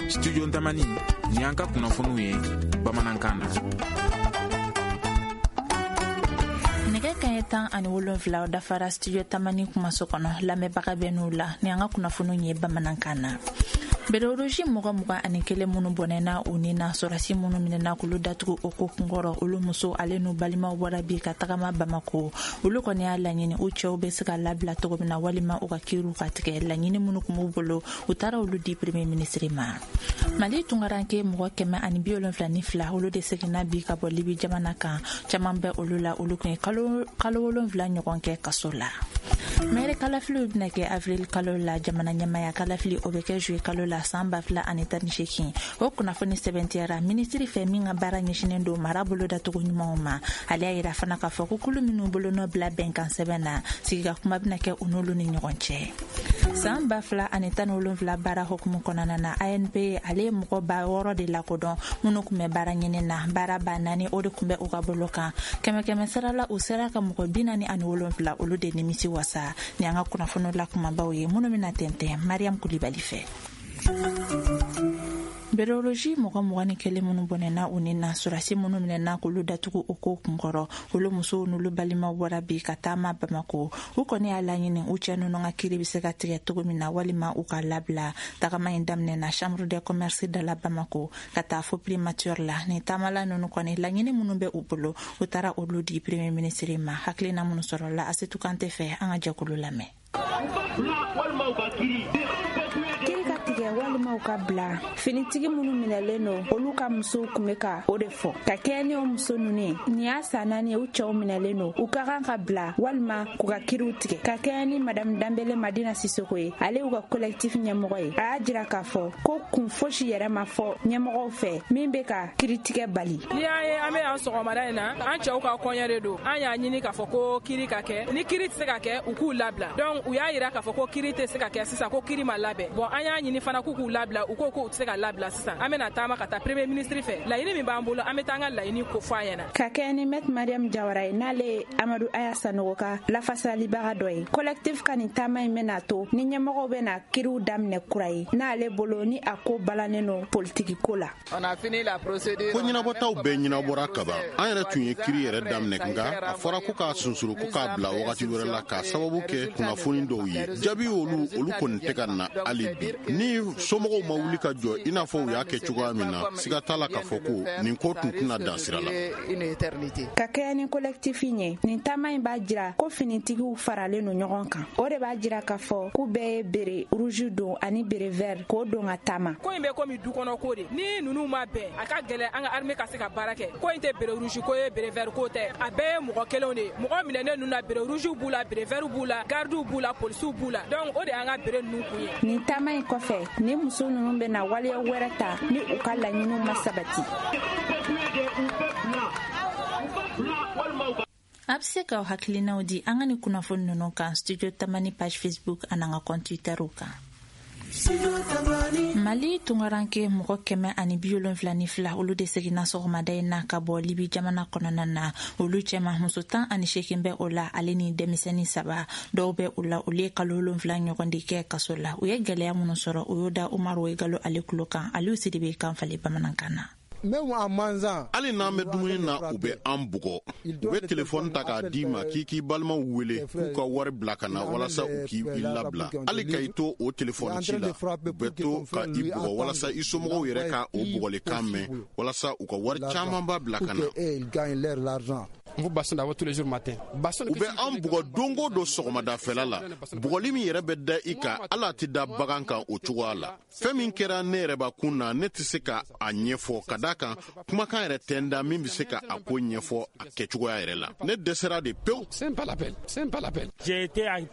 Studio Tamani, ni an ka kunnafoniw ye bamanankan na. Nɛgɛ kaɲɛ 17 dafara Studio Tamani kumaso kɔnɔ. Lamɛnbaga bɛ n'u la ni an ka kunnafoniw ye bamanankan na. Béret rouge mɔgɔ 21 minnu bɔnɛna u ni na, sɔrɔsi minnu minɛna k'olu datugu o ko kunkɔrɔ, olu muso ale n'u balimaw bɔra bi ka tagama Bamako. Olu kɔni y'a laɲini u cɛw bɛ se ka labila cogo min na, walima u ka kiriw ka tigɛ. Laɲini minnu kun b'u bolo, u taara olu di premier ministre ma. Mali tunkaranke mɔgɔ 172, olu de seginna bi ka bɔ Libi jamana kan. Caman bɛ olu la, olu kun ye kalo 7 ɲɔgɔn kɛ kaso la. Maire kalafiliw bɛna kɛ avril kalo la. Jamana ɲɛmaya kalafili, o bɛ kɛ juillet kalo la san 2018. O kunnafoni sɛbɛntiyara minisiri fɛ min ka baara ɲɛsinen don mara bolodacogo ɲumanw ma. Ale y'a yira fana k'a fɔ ko kulu minnu bolonɔ bila bɛnkan sɛbɛn na, sigika kuma bɛna kɛ u n'olu ni ɲɔgɔn cɛ. San 2017 baara hukumu kɔnɔna na, ANP ale ye mɔgɔ 6000 de lakodɔn minnu tun bɛ baara ɲini na. Baara 4000, o de tun bɛ u ka bolo kan. Kɛmɛ kɛmɛ sara la, u sera ka mɔgɔ 47, olu de nimisi wasa. Ni an ka kunnafoniw la kumabaw ye minnu bɛna tɛntɛn Mariam Kulibali fɛ. Béret rouge mɔgɔ 21 minnu bɔnɛna u ni na, sɔrɔsi minnu minɛna k'olu datugu o ko kunkɔrɔ, olu musow n'olu balimaw bɔra bi ka taama Bamako. U kɔni y'a laɲini u cɛ ninnu ka kiri bɛ se ka tigɛ cogo min na, walima u ka labila. Tagama in daminɛna Chambre de commerce da la Bamako ka taa fo primature la. Nin taamala ninnu kɔni, laɲini minnu bɛ u bolo, u taara olu di premier ministre ma. Hakilina minnu sɔrɔla Asetu Kante fɛ, an ka jɛkulu lamɛn. Kiri ka tigɛ walima u ka bila, finitigi minnu minɛlen don, olu ka musow kun bɛ ka o de fɔ. Ka kɛɲɛ ni o muso ninnu ye, nin y'a san 4 ye u cɛw minɛlen don. U ka kan ka bila walima k'u ka kiriw tigɛ. Ka kɛɲɛ ni Madame Danbele Madina Sisoko ye, ale y'u ka collectif ɲɛmɔgɔ ye, a y'a jira k'a fɔ ko kun fosi yɛrɛ ma fɔ ɲɛmɔgɔw fɛ min bɛ ka kiritigɛ bali. N'i y'a ye an bɛ yan sɔgɔmada in na, an cɛw ka kɔɲɔ de don. An y'a ɲini k'a fɔ ko kiri ka kɛ. Ni kiri tɛ se ka kɛ, u k'u labila. Donc u y'a yira k'a fɔ ko kiri tɛ se ka kɛ sisan, ko kiri ma labɛn. Bon, an y'a ɲini fana k'u k'u labila, u ko k'u tɛ se ka labila sisan. An bɛna taama ka taa premier ministre fɛ. Laɲini min b'an bolo, an bɛ taa an ka laɲini ko fɔ a ɲɛna. Ka kɛɲɛ ni maître Mariam Jawara ye, n'ale ye Amadu Aya Sanogo ka lafasalibaga dɔ ye, collectif ka nin taama in bɛna to ni ɲɛmɔgɔw bɛna kiriw daminɛ kura ye, n'ale bolo ni a ko balannen don politiki ko la. Ko ɲɛnabɔtaw bɛɛ ɲɛnabɔra kaban. An yɛrɛ tun ye kiri yɛrɛ daminɛ, nka a fɔra ko k'a sunsuru, ko k'a bila wagati wɛrɛ la, k'a sababu kɛ kunnafoni dɔw ye. Jaabi olu, olu kɔni tɛ ka na hali bi. Ni somɔgɔw ma wuli ka jɔ i n'a fɔ u y'a kɛ cogoya min na, siga t'a la k'a fɔ ko nin ko tun tɛna dan sira la. Ka kɛɲɛ ni collectif ye, nin taama in b'a jira ko finitigiw faralen don ɲɔgɔn kan. O de b'a jira k'a fɔ k'u bɛɛ ye béret rouge don ani béret vert k'o don ka taama. Ko in bɛ komi du kɔnɔ ko de. Ni ninnu ma bɛn, a ka gɛlɛn an ka armée ka se ka baara kɛ. Ko in tɛ béret rouge ko ye, béret vert ko tɛ, a bɛɛ ye mɔgɔ kelenw de ye. Mɔgɔ minɛnen ninnu na, béret rouge b'u la, béret vert b'u la, gardiw b'u la, polisiw b'u la. Donc o de y'an ka béret ninnu kun ye. Nin taama in kɔfɛ, ni muso ninnu bɛna waleya wɛrɛ ta ni u ka laɲiniw ma sabati. A bɛ se k'aw hakilinaw di an ka nin kunnafoni ninnu kan Studio Tamani page Facebook an'an ka compte Twitter kan. Mali tunkaranke mɔgɔ 172, olu de seginna sɔgɔmada in na ka bɔ Libi jamana kɔnɔna na. Olu cɛma, muso 18 bɛ o la, ale ni denmisɛnnin saba. Dɔw bɛ u la, olu ye kalo 7 ɲɔgɔn de kɛ kaso la. U ye gɛlɛya minnu sɔrɔ, u y'o da Umaru Wegalo ale tulo kan. Aliyu Sidibe kan falen bamanankan na. Hali n'an bɛ dumuni na, u bɛ an bugɔ. U bɛ telefɔni ta k'a d'i ma k'i k'i balimaw wele k'u ka wari bila ka na walasa u k'i labila. Hali ka i to o telefɔni ci la, u bɛ to ka i bugɔ walasa i somɔgɔw yɛrɛ ka o bugɔlikan mɛn, walasa u ka wari camanba bila ka na. U bɛ an bugɔ don o don sɔgɔmadafɛla la. Bugɔli min yɛrɛ bɛ da i kan, hali a tɛ da bagan kan o cogoya la. Fɛn min kɛra ne yɛrɛ bakun na, ne tɛ se ka a ɲɛfɔ, ka da kan kumakan yɛrɛ tɛ n da min bɛ se ka a ko ɲɛfɔ a kɛcogoya yɛrɛ la. Ne dɛsɛra de pewu.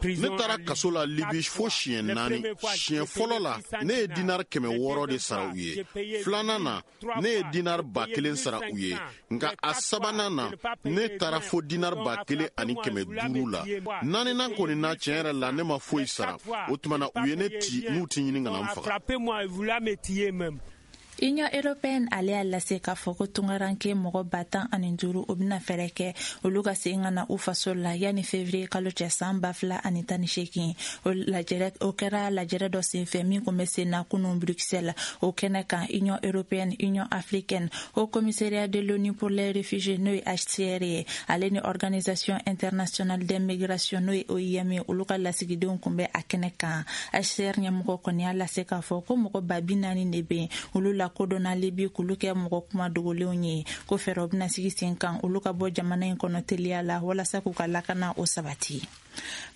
Ne taara kaso la Libi fo siɲɛ 4. Siɲɛ fɔlɔ la, ne ye dinar 600 de sara u ye. Filanan na, ne ye dinar 1000 sara u ye. Nka a sabanan na, ne taara fo dinar 1500 la. Naaninan kɔni na, tiɲɛ yɛrɛ la, ne ma foyi sara. O tuma na, u ye ne ci n'u ti ɲini ka na n faga. Union européenne ale y'a lase k'a fɔ ko tungaranke mɔgɔ 15,000, o bɛna fɛɛrɛ kɛ olu ka segin ka na u faso la yanni février kalo cɛ san 2018. O lajɛrɛ, o kɛra lajɛrɛ dɔ senfɛ min kun bɛ sen na kunun Bruxelles. O kɛnɛ kan, Union européenne, Union africaine, Haut Commissariat de l'ONU pour les réfugiés, n'o ye HCR ye, ale ni Organisation internationale des migrations, n'o ye OIM ye, olu ka lasigidenw kun bɛ a kɛnɛ kan. HCR ɲɛmɔgɔ kɔni y'a lase k'a fɔ ko mɔgɔ 40,000 de bɛ yen, olu lakodɔnna Libi k'olu kɛ mɔgɔ kuma dogolenw ye, ko fɛɛrɛw bɛna sigi sen kan olu ka bɔ jamana in kɔnɔ teliya la walasa k'u ka lakana o sabati.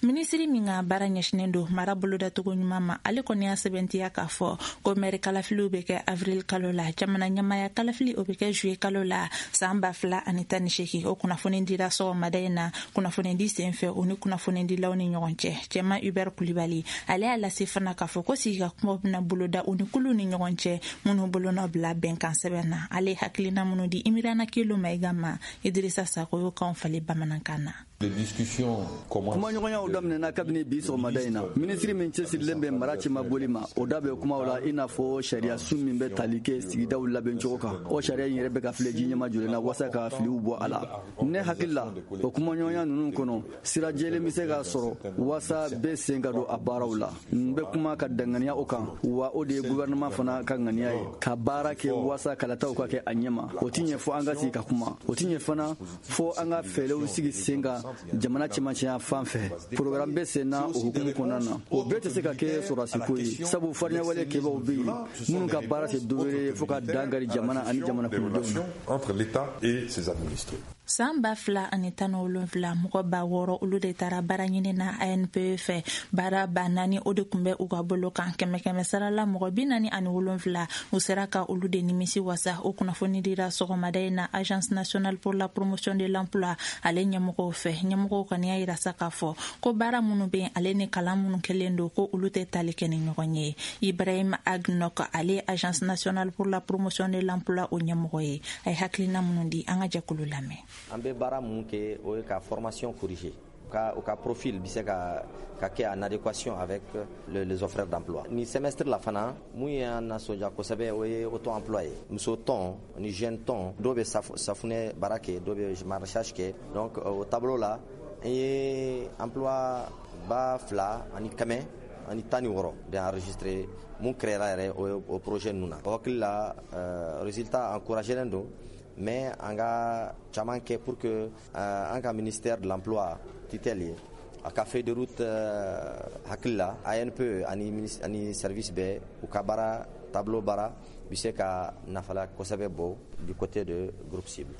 Minisiri min ka baara ɲɛsinen don mara bolodacogo ɲuman ma, ale kɔni y'a sɛbɛntiya k'a fɔ ko mɛri kalafiliw bɛ kɛ avril kalo la, jamana ɲɛmaya kalafili, o bɛ kɛ juillet kalo la san 2018. O kunnafoni dira sɔgɔmada in na kunnafonidi sen fɛ o ni kunnafonidilaw ni ɲɔgɔn cɛ. Cɛma Hubert Kulibali, ale y'a lase fana k'a fɔ ko sigi ka kumaw bɛna boloda u ni kulu ni ɲɔgɔn cɛ minnu bolonɔ bila bɛnkan sɛbɛn na. Ale hakilina minnu di Imirana Kelo Mayiga ma, Idirisa Sako y'o kan falen bamanankan na. Kumaɲɔgɔnyaw daminɛna kabini bi sɔgɔmada in na. Minisiri min cɛsirilen bɛ mara cɛma boli ma, o da bɛ kumaw la, i n'a fɔ sariya sun min bɛ tali kɛ sigidaw labɛncogo kan. O sariya in yɛrɛ bɛ ka filɛ ji ɲɛma jɔlen na walasa ka filiw bɔ a la. Ne hakili la, o kumaɲɔgɔnya ninnu kɔnɔ, sira jɛlen bɛ se ka sɔrɔ walasa bɛɛ sen ka don a baaraw la. N bɛ kuma ka danganiya o kan, wa o de ye gouvernement fana ka ŋaniya ye, ka baara kɛ walasa kalataw ka kɛ a ɲɛma. O ti ɲɛ fɔ an ka sigi ka kuma, o ti ɲɛ fana fɔ an ka fɛɛrɛw sigi sen kan jamana cɛmancɛya fan fɛ. Programme bɛ sen na o hukumu kɔnɔna na. O bɛɛ tɛ se ka kɛ sɔrɔdasiko ye, sabu farinyawale kɛbaw bɛ yen minnu ka baara tɛ dɔwɛrɛ ye fo ka dan kari jamana ani jamana kɔnɔdenw na. Entre l'État et ses administrés. San 2017, mɔgɔ 6000, olu de taara baara ɲini na ANPE fɛ. Baara 4000, o de tun bɛ u ka bolo kan. Kɛmɛ kɛmɛ sarala, mɔgɔ 47, u sera ka olu de nimisi wasa. O kunnafoni dira sɔgɔmada in na Agence nationale pour la promotion de l'emploi ale ɲɛmɔgɔw fɛ. Ɲɛmɔgɔw kɔni y'a yira sa k'a fɔ ko baara minnu bɛ yen, ale ni kalan minnu kɛlen don, ko olu tɛ tali kɛ ni ɲɔgɔn ye. Ibrahim Agnok, ale Agence nationale pour la promotion de l'emploi o ɲɛmɔgɔ ye, a ye hakilina minnu di, an ka jɛkulu lamɛn. An bɛ baara mun kɛ, o ye ka formation corriger ka u ka profil bɛ se ka kɛ en adéquation avec les offres d'emploi. Ni semestre la fana, mun y'an nasɔndiya kosɛbɛ, o ye auto emploi ye. Muso tɔn ni jeune tɔn, dɔw bɛ safunɛ baara kɛ, dɔw bɛ maraîchage kɛ. Donc o tableau la, an ye emploi 2116 de enregistré mun créera yɛrɛ o projet ninnu na. O hakili la, résultat encouragé don, mais an ka caman kɛ pour que an ka ministère de l'Emploi tutelle ye a ka feuille de route hakili la, ANPE ani service bɛɛ, u ka baara tableau baara bɛ se ka nafala kosɛbɛ bɔ du côté de groupe cible.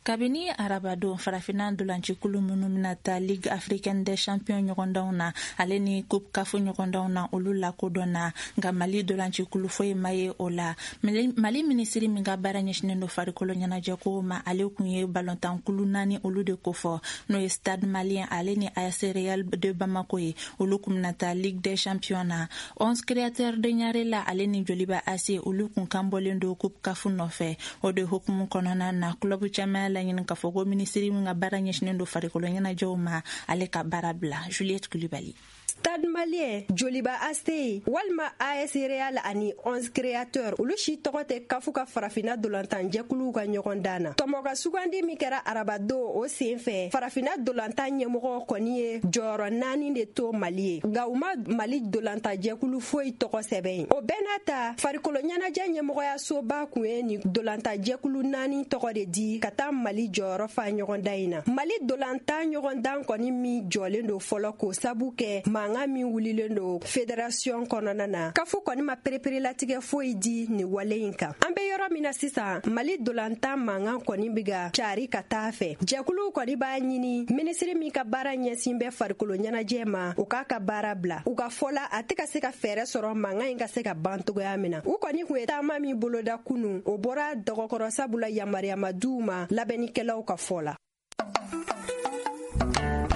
Kabini arabadon, Farafinna dolancikulu minnu bɛna taa Ligue africaine des champions ɲɔgɔndanw na, ale ni Coupe CAF ɲɔgɔndanw na, olu lakodɔnna, nka Mali dolancikulu foyi ma ye o la. Mali minisiri min ka baara ɲɛsinen don farikolo ɲɛnajɛkow ma, ale kun ye balontankulu naani olu de kofɔ, n'o ye Stade Malien ale ni AS Real de Bamako ye, olu kun bɛna taa Ligue des champions na. 11 Créateurs de Ɲarela ale ni Joliba AC, olu kun kan bɔlen don Coupe CAF nɔfɛ. O de hukumu kɔnɔna na, club caman y'a laɲini k'a fɔ ko minisiri min ka baara ɲɛsinen don farikolo ɲɛnajɛw ma, ale ka baara bila. Juliette Kulibali. Stade Malien, Joliba AC walima AS Real ani 11 Créateur, olu si tɔgɔ tɛ CAF ka Farafina dolantan jɛkuluw ka ɲɔgɔn dan na. Tɔmɔ ka sugandi min kɛra arabadon, o sen fɛ, Farafina dolantan ɲɛmɔgɔ kɔni ye jɔyɔrɔ naani de to Mali ye, nka u ma Mali dolantan jɛkulu foyi tɔgɔ sɛbɛn ye. O bɛɛ n'a ta, farikolo ɲɛnajɛ ɲɛmɔgɔyasoba kun ye nin dolantan jɛkulu naani tɔgɔ de di ka taa Mali jɔyɔrɔ fa ɲɔgɔndan in na. Mali dolantan ɲɔgɔndan kɔni min jɔlen don fɔlɔ, k'o sabu kɛ mankan min wulilen don fédération kɔnɔna na, CAF kɔni ma pereperelatigɛ foyi di nin wale in kan. An bɛ yɔrɔ min na sisan, Mali dolantan mankan kɔni bɛ ka cari ka taa fɛ. Jɛkuluw kɔni b'a ɲini minisiri min ka baara ɲɛsin bɛ farikolo ɲɛnajɛ ma, o k'a ka baara bila. U ka fɔ la, a tɛ ka se ka fɛɛrɛ sɔrɔ mankan in ka se ka ban togoya min na. U kɔni kun ye taama min boloda kunu, o bɔra dɔgɔkɔrɔ, sabula yamaruya ma d'u ma labɛnnikɛlaw ka fɔ la.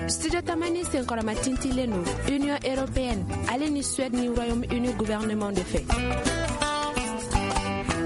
Studio Tamani senkɔrɔma tintilen don Union européenne ale ni Suède ni Royaume-Uni gouvernement de fɛ.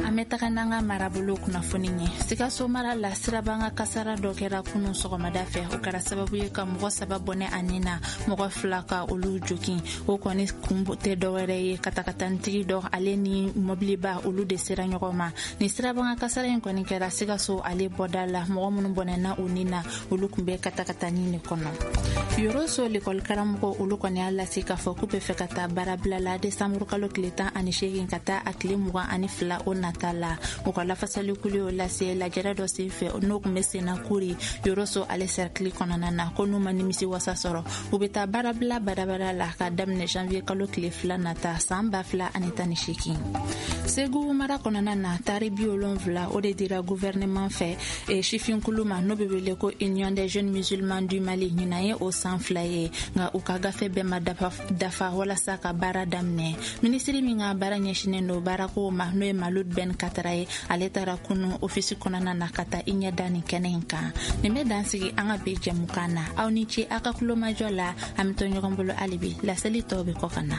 An An bɛ taga n'an ka marabolo kunnafoni ye. Sikaso mara la, sirabanga kasara dɔ kɛra kunun sɔgɔmada fɛ. O kɛra sababu ye ka mɔgɔ 3 bɔnɛ a ni na, mɔgɔ 2 ka olu jogin. O kɔni kun tɛ dɔwɛrɛ ye, katakatanitigi dɔ ale ni mɔbiliba, olu de sera ɲɔgɔn ma. Ni sirabanga kasara in kɔni kɛra Sikaso ale bɔda la. Mɔgɔ minnu bɔnɛna u ni na, olu kun bɛ katakatani de kɔnɔ. Yoroso lekɔli karamɔgɔ, olu kɔni y'a lase k'a fɔ k'u bɛ fɛ ka taa baarabila la desanburu kalo tile 18 ka taa a tile 22 o nata la. U ka lafasalikulu y'o lase lajɛrɛ dɔ sen fɛ, n'o kun bɛ senna Kuri, Yoroso ale sɛrikili kɔnɔna na, ko n'u ma nimisi wasa sɔrɔ, u bɛ taa baarabila badabada la ka daminɛ janvier kalo tile 2 nata san 2018. Segu mara kɔnɔna na, tari 70, o de dira gouvernement fɛ sifinkulu ma, n'o bɛ wele ko Union des jeunes musulmans du Mali. Ɲinan ye o san 2 ye, nka u ka gafe bɛɛ ma dafa walasa ka baara daminɛ. Minisiri min ka baara ɲɛsinnen don baarakow ma, n'o ye Malud Ben Katara ye, ale taara kunu ofisi kɔnɔna na ka taa i ɲɛ da nin kɛnɛ in kan. Nin bɛ dan sigi an ka bi jɛmukan na. Aw ni ce aw ka kulomajɔ la. An bɛ to ɲɔgɔn bolo hali bi, laseli tɔw bɛ kɔ ka na.